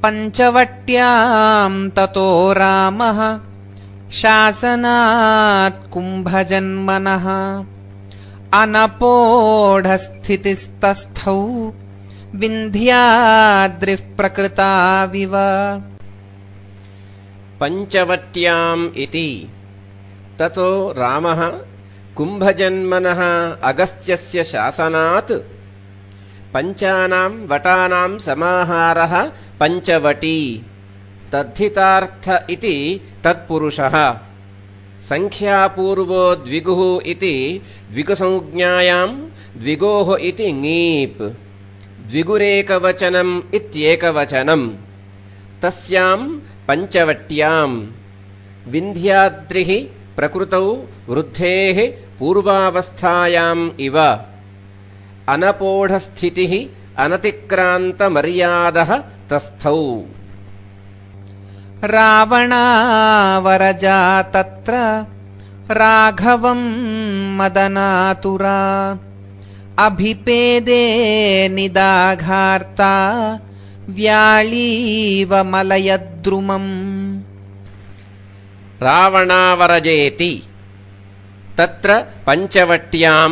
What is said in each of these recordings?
पञ्चवट्यां ततो रामः शासनात् कुम्भजन्मनः अनपोढस्थितिस्तस्थौ विन्ध्याद्रिः प्रकृताविव। पञ्चवट्याम् इति ततो रामः कुम्भजन्मनः अगस्त्यस्य शासनात् पञ्चानां वटानां समाहारः पञ्चवटी तद्धितार्थ इति तत्पुरुषः। संख्यापूर्वो द्विगुः इति द्विगुसंज्ञायां द्विगोः इति ङीप् द्विगुरेकवचनम् इत्येकवचनम्। तस्यां पञ्चवट्यां विन्ध्याद्रिः प्रकृतौ वृद्धेः पूर्वावस्थायाम् इव अनपोढस्थितिः अनतिक्रान्तमर्यादः तस्थौ। रावणावरजा तत्र राघवं मदनातुरा अभिपेदे निदाघार्ता व्याळीव मलयद्रुमम्। रावणावरजेति तत्र पञ्चवट्यां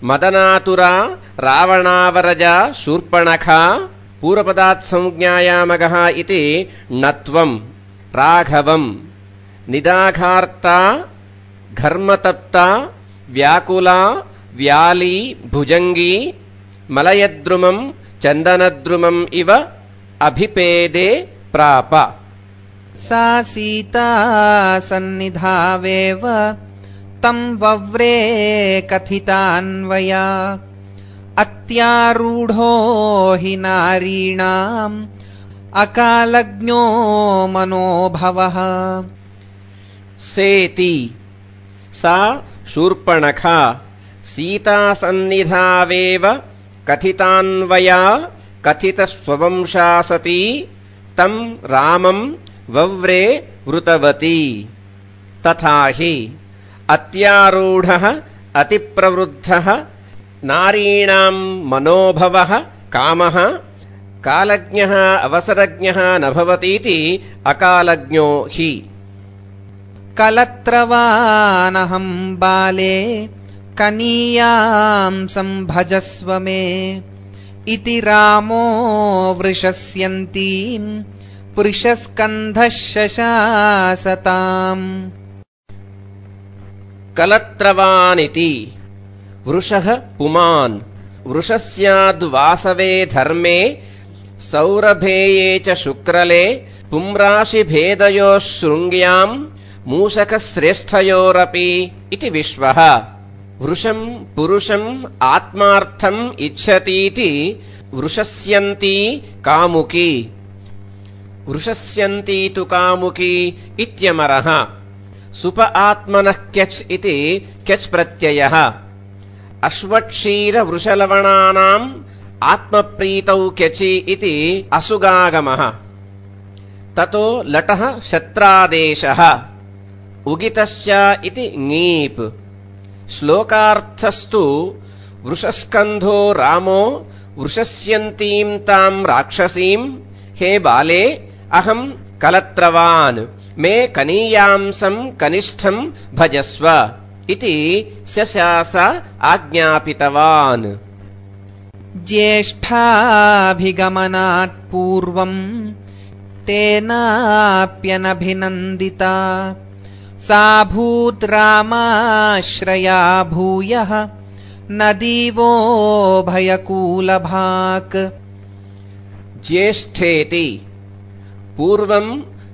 मदनातुरा रावणावरजा शूर्पणखा पूर्वपदात् संज्ञायामगः इति णत्वं राघवं निदाघार्ता घर्मतप्ता व्याकुला व्याली भुजंगी मलयद्रुमं चन्दनद्रुमम् इव अभिपेदे प्राप। सा सीता सन्निधावेव तं वव्रे कथितान्वया अत्यारूढो हि नारीणाम् अकालज्ञो मनोभवः। सेति सा शूर्पणखा सीतासन्निधावेव कथितान्वया कथितस्ववंशा सती तं रामं वव्रे वृतवती। तथा हि अत्यारूढः अतिप्रवृद्धः नारीणां मनोभवः कामः कालज्ञः अवसरज्ञः न भवतीति अकालज्ञो हि। कलत्रवानहं बाले कनीयां संभजस्व मे इति रामो वृषस्यन्तीं पुरुषस्कन्धः शशासताम्। कलत्रवानिति वृषः पुमान् वृषस्याद्वासवे धर्मे सौरभेये च शुक्रले पुंराशिभेदयोः शृङ्ग्यां मूषकश्रेष्ठयोरपि इति विश्वः। वृषं पुरुषम् आत्मार्थम् इच्छतीति वृषस्यन्ती कामुकी वृषस्यन्ती तु कामुकी इत्यमरः। सुप आत्मनः क्यच् इति क्यच् प्रत्ययः। अश्वक्षीरवृषलवणानाम् आत्मप्रीतौ क्यचि इति असुगागमः। ततो लटः शत्रादेशः उगितश्च इति ङीप्। श्लोकार्थस्तु वृषस्कन्धो रामो वृषस्यन्तीं तां राक्षसीं हे बाले अहं कलत्रवान् मे कनीयांसं कनिष्ठं भजस्व इति शशास आज्ञापितवान्। ज्येष्ठाभिगमनात् पूर्वं तेनाप्यनभिनन्दिता सा भूत् रामाश्रया भूयः नदीवो भयकूलभाक्। ज्येष्ठेति पूर्वं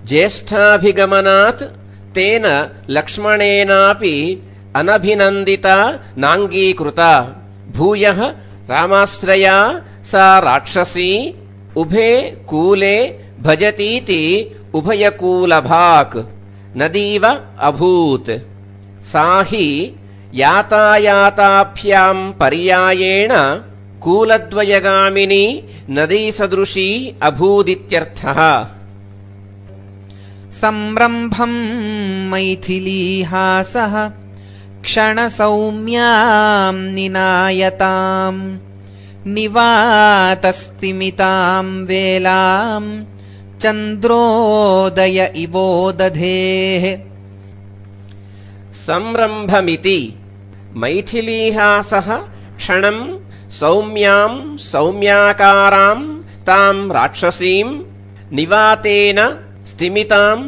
ज्येष्ठाभिगमनात् तेन लक्ष्मणेनापि अनभिनन्दिता नाङ्गीकृता भूयः रामाश्रया सा राक्षसी उभे कूले भजतीति उभयकूलभाक् नदीव अभूत्। सा हि यातायाताभ्यां पर्यायेण कूलद्वयगामिनी नदीसदृशी अभूदित्यर्थः। संरम्भं मैथिलीहासः क्षणसौम्यां निनायताम् निवातस्तिमितां वेलां चन्द्रोदय इवोदधेः संरम्भमिति मैथिलीहासः क्षणम् सौम्याम् सौम्याकाराम् ताम् राक्षसीम् निवातेन स्तिमिताम्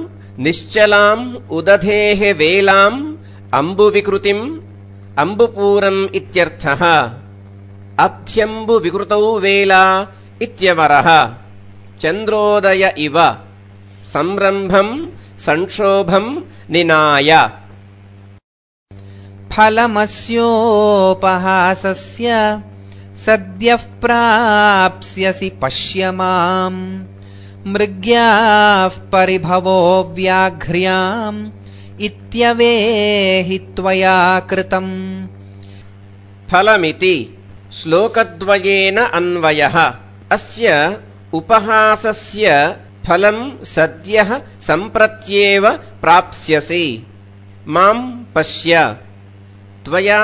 निश्चलाम् उदधेः वेलाम् अम्बुविकृतिम् अम्बुपूरम् इत्यर्थः अब्ध्यम्बुविकृतौ वेला इत्यवरः चन्द्रोदय इव संरम्भम् संक्षोभम् निनाय फलमस्योपहासस्य सद्यः प्राप्स्यसि पश्य माम् मृग्याः परिभवो व्याघ्र्याम् इत्यवेहि त्वया कृतम् फलमिति श्लोकद्वयेन अन्वयः अस्य उपहासस्य फलम् सद्यः सम्प्रत्येव प्राप्स्यसि माम् पश्य त्वया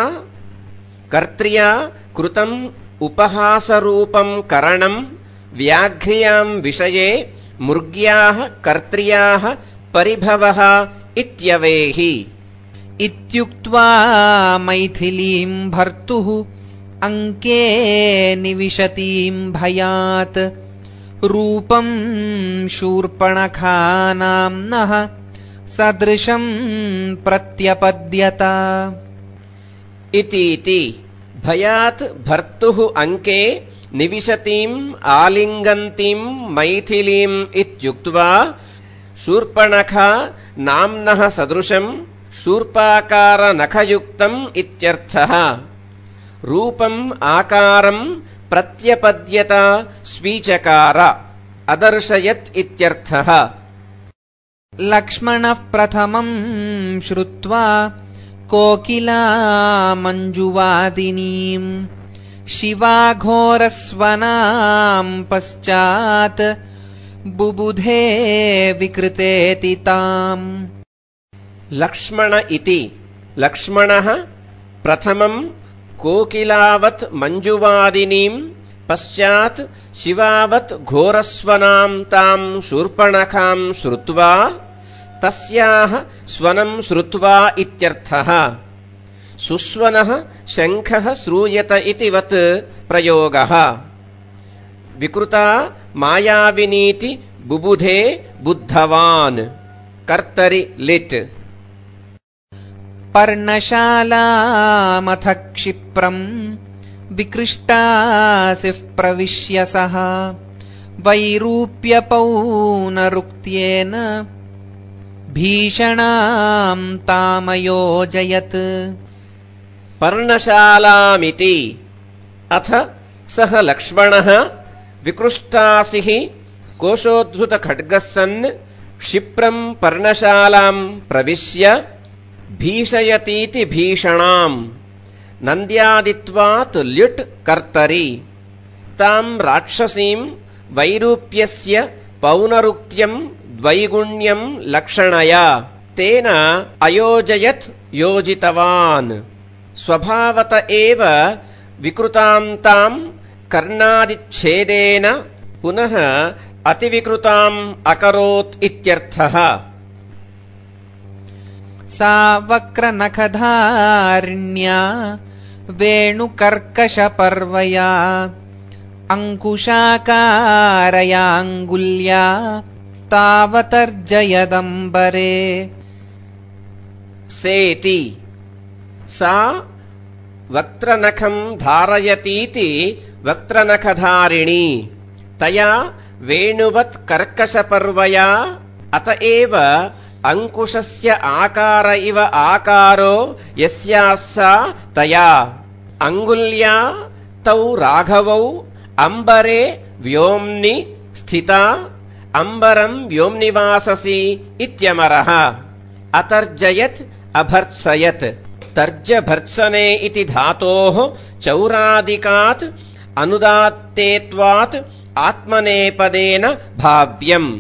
कर्त्र्या कृतम् उपहासरूपम् करणम् व्याघ्र्याम् विषये मृग्याः कर्त्र्याः परिभवः इत्यवेहि इत्युक्त्वा मैथिलीम् भर्तुः अङ्के निविशतीम् भयात् रूपम् शूर्पणखानाम्नः सदृशम् प्रत्यपद्यत इतीति भयात् भर्तुः अङ्के निविशतीम् आलिङ्गन्तीम् मैथिलीम् इत्युक्त्वा शूर्पणखा नाम्नः सदृशम् शूर्पाकारनखयुक्तम् इत्यर्थः रूपम् आकारम् प्रत्यपद्यत स्वीचकार अदर्शयत् इत्यर्थः लक्ष्मणः प्रथमम् श्रुत्वा कोकिलामञ्जुवादिनीम् शिवाघोरस्वनाम् पश्चात् बुबुधे विकृतेति ताम् लक्ष्मण इति लक्ष्मणः प्रथमम् कोकिलावत् मञ्जुवादिनीम् पश्चात् शिवावत् घोरस्वनाम् ताम् शूर्पणखाम् श्रुत्वा तस्याः स्वनम् श्रुत्वा इत्यर्थः सुस्वनः शङ्खः श्रूयत इति वत् प्रयोगः विकृता मायाविनीति बुबुधे बुद्धवान् कर्तरि लिट् पर्णशालामथ क्षिप्रम् विकृष्टासिः प्रविश्य सः वैरूप्यपौनरुक्त्येन भीषणाम् तामयोजयत् पर्णशालामिति अथ सः लक्ष्मणः विकृष्टासिः कोशोद्धृतखड्गः सन् क्षिप्रम् पर्णशालाम् प्रविश्य भीषयतीति भीषणाम् नन्द्यादित्वात् ल्युट् कर्तरि ताम् राक्षसीम् वैरूप्यस्य पौनरुक्त्यम् द्वैगुण्यम् लक्षणया तेन अयोजयत् योजितवान् स्वभावत एव विकृताम् ताम् कर्णादिच्छेदेन पुनः अतिविकृताम् अकरोत् इत्यर्थः सा वक्रनखधारिण्या वेणुकर्कशपर्वया अङ्कुशाकारयाङ्गुल्या तावतर्जयदम्बरे सेति सा वक्त्रनखम् धारयतीति वक्त्रनखधारिणी तया वेणुवत् कर्कशपर्वया अत एव अंकुशस्य आकार इव आकारो यस्याः सा तया अंगुल्या तौ राघवौ अंबरे व्योम्नि स्थिता अंबरम् व्योम्निवाससि इत्यमरः अतर्जयत् अभर्त्सयत् तर्जभर्त्सने इति धातोः चौरादिकात् अनुदात्तेत्वात् आत्मनेपदेन भाव्यम्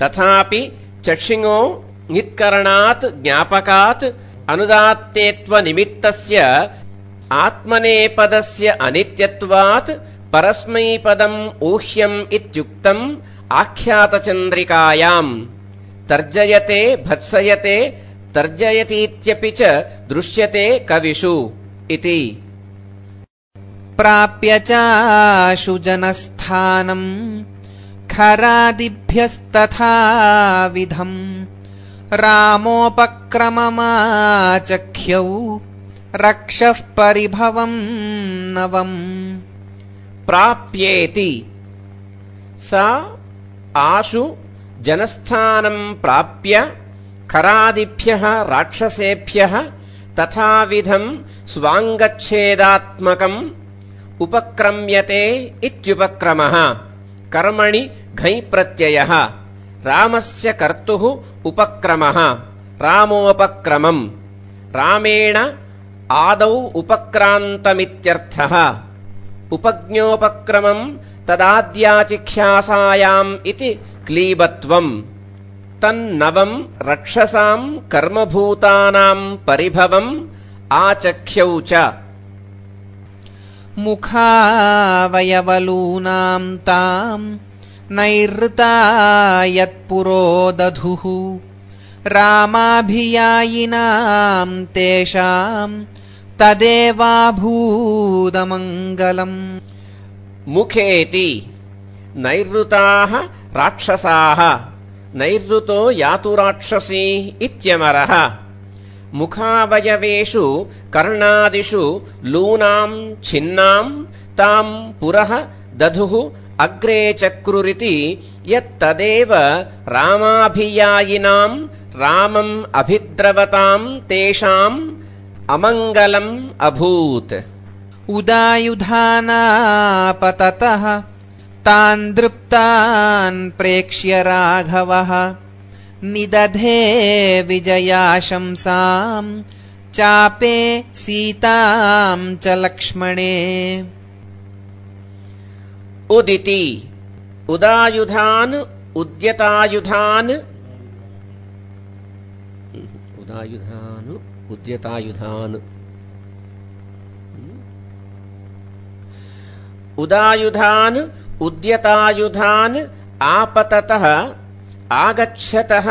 तथापि चक्षिङो ङित्करणात् ज्ञापकात् अनुदात्तेत्वनिमित्तस्य आत्मनेपदस्य अनित्यत्वात् परस्मैपदम् ऊह्यम् इत्युक्तम् आख्यातचन्द्रिकायाम् तर्जयते भत्सयते तर्जयतीत्यपि च दृश्यते कविषु इति। प्राप्य चाशु जनस्थानम् खरादिभ्यस्तथा विधम् रामोपक्रममाचख्यौ रक्षः परिभवम् नवम्। प्राप्येति सा आशु जनस्थानम् प्राप्य खरादिभ्यः राक्षसेभ्यः तथाविधम् स्वाङ्गच्छेदात्मकम् उपक्रम्यते इत्युपक्रमः। कर्मणि घञ् प्रत्ययः रामस्य कर्तुः उपक्रमः रामोपक्रमम्। रामेण आदौ उपक्रान्तमित्यर्थः। उपज्ञोपक्रमम् तदाद्याचिख्यासायाम् इति क्लीबत्वम्। तन्नवम् रक्षसाम् कर्मभूतानाम् परिभवम् आचख्यौ च। मुखावयवलूनाम् ताम् नैरृता यत्पुरो दधुः रामाभियायिनाम् तेषाम् तदेवाभूदमङ्गलम्। मुखेति नैरृताः राक्षसाः नैरृतो यातु राक्षसी इत्यमरः। मुखावयवेषु कर्णादिषु लूनाम् छिन्नाम् ताम् पुरः दधुः अग्रे चक्रुरिति यत्तदेव रामाभियायिनाम् रामम् अभिद्रवताम् तेषाम् अमङ्गलम् अभूत्। उदायुधानापततः तान् दृप्तान् प्रेक्ष्य राघवः निदधे विजयाशंसाम् चापे सीताम् च लक्ष्मणे। उदिति उदायुधान् उद्यतायुधान् उद्यतायुधान् उदायुधान् उद्यतायुधान् आपततः आगच्छतः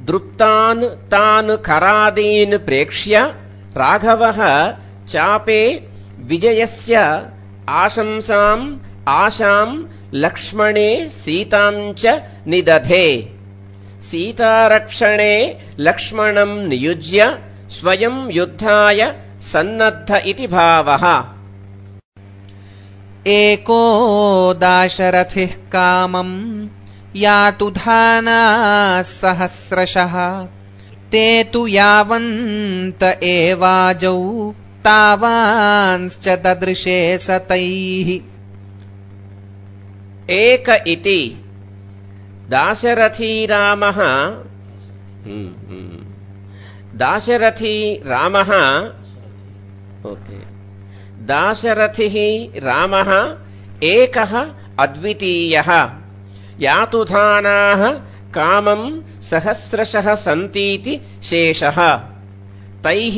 दृप्तान् तान् खरादीन् प्रेक्ष्य राघवः चापे विजयस्य आशंसाम् आशाम् लक्ष्मणे सीताम् च निदधे। सीतारक्षणे लक्ष्मणम् नियुज्य स्वयं युद्धाय सन्नद्ध इति भावः। एको दाशरथिः कामम् यातुधानाः सहस्रशः ते तु यावन्त एवाजौ तावांश्च ददृशे सतैः। एक इति दाशरथी रामः दाशरथिः रामः एकः अद्वितीयः। यातुधानाः कामम् सहस्रशः सन्तीति शेषः। तैः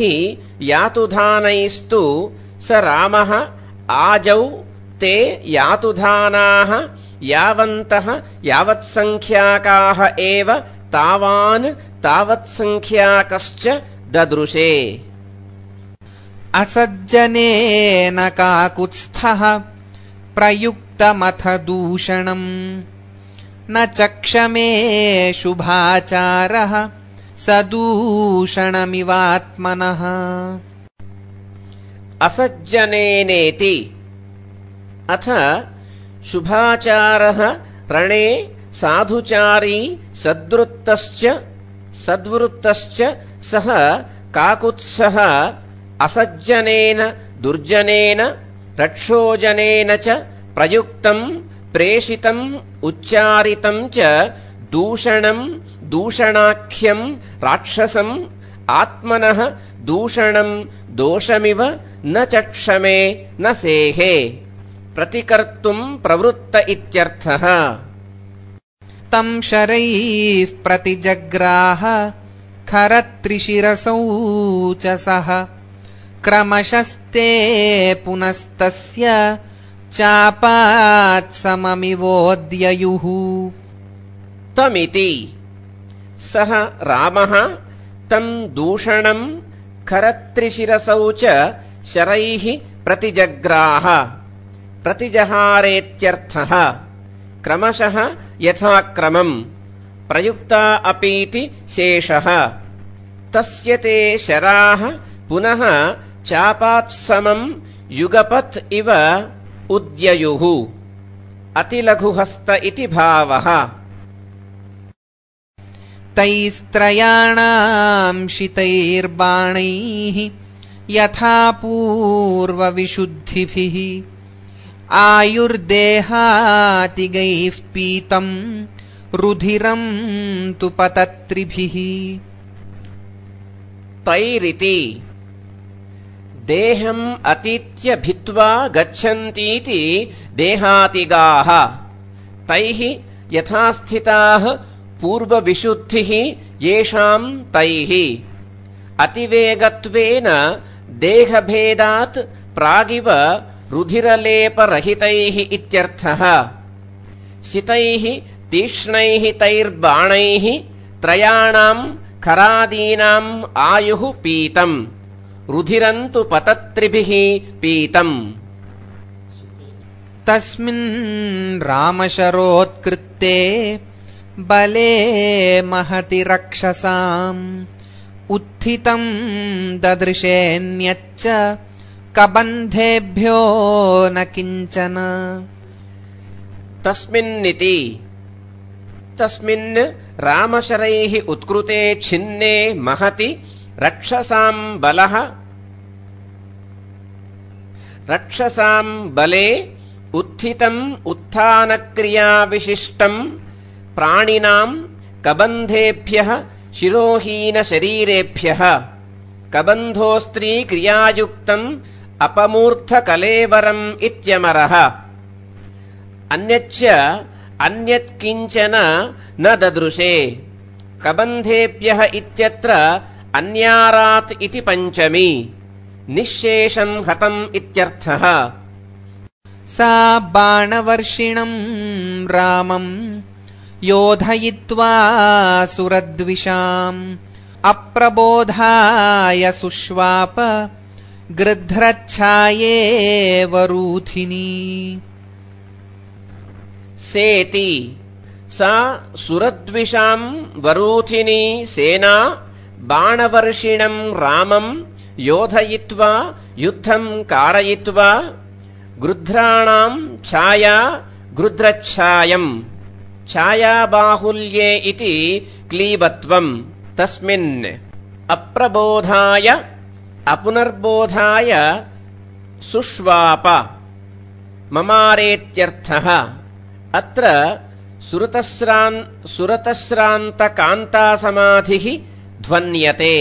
यातुधानैस्तु स रामः आजौ ते यातुधानाः यावन्तः यावत्सङ्ख्याकाः एव तावान् तावत्सङ्ख्याकश्च ददृशे। असज्जनेन काकुत्स्थः प्रयुक्तमथ दूषणम् न चक्षमे शुभाचारः सदूषणमिवात्मनः। असज्जनेनेति अथ शुभाचारः रणे साधुचारी सद्वृत्तश्च सः काकुत्सः असज्जनेन दुर्जनेन रक्षोजनेन च प्रयुक्तम् प्रेषितम् उच्चारितम् च दूषणम् दूषणाख्यम् राक्षसम् आत्मनः दूषणम् दोषमिव न चक्षमे न सेहे प्रतिकर्तुम् प्रवृत्त इत्यर्थः। तम् शरैः प्रतिजग्राह खरत्रिशिरसौ च सः क्रमशस्ते पुनस्तस्य चापात्सममिवोद्ययुः। तमिति सः रामः तं दूषणं खरत्रिशिरसौ च शरैः प्रतिजग्राह प्रतिजहारेत्यर्थः क्रमशः यथाक्रमम् प्रयुक्ता अपीति शेषः तस्य ते शराः पुनः चापात्समं युगपत् इव उद्ययुः अतिलघुहस्त इति भावः तैस्त्रयाणाम् शितैर्बाणैः यथा पूर्वविशुद्धिभिः आयुर्देहातिगैः पीतम् रुधिरम् तु पतत्रिभिः तैरिति देहम् अतीत्य भित्त्वा गच्छन्तीति देहातिगाः तैः यथास्थिताः पूर्वविशुद्धिः येषाम् तैः अतिवेगत्वेन देहभेदात् प्रागिव रुधिरलेपरहितैः इत्यर्थः शितैः तीक्ष्णैः तैर्बाणैः त्रयाणाम् खरादीनाम् आयुः पीतम् रुधिरम् तु पतत्रिभिः पीतम् तस्मिन् रामशरोत्कृत्ते बले महति रक्षसाम् उत्थितम् ददृशेऽन्यच्च कबन्धेभ्यो न किञ्चन तस्मिन्निति तस्मिन् रामशरैः उत्कृते छिन्ने महति रक्षसाम् बलः रक्षसाम् बले उत्थितम् उत्थानक्रियाविशिष्टम् प्राणिनाम् कबन्धेभ्यः शिरोहीनशरीरेभ्यः कबन्धोस्त्रीक्रियायुक्तम् अपमूर्धकलेवरम् इत्यमरः अन्यच्च अन्यत्किञ्चन न ददृशे कबन्धेभ्यः इत्यत्र अन्यारात् इति पञ्चमी निःशेषम् हतम् इत्यर्थः सा बाणवर्षिणम् रामम् योधयित्वा सुरद्विषाम् अप्रबोधाय सुष्वाप गृध्रच्छायेवरूथिनी सेति सा सुरद्विषाम् वरूथिनी सेना बाणवर्षिणम् रामम् योधयित्वा युद्धम् कारयित्वा गृध्राणाम् छाया गृध्रच्छायम् छायाबाहुल्ये इति क्लीबत्वम् तस्मिन् अप्रबोधाय अपुनर्बोधाय सुष्वाप ममारेत्यर्थः अत्र सुरतश्रान्तकान्तासमाधिः ध्वन्यते।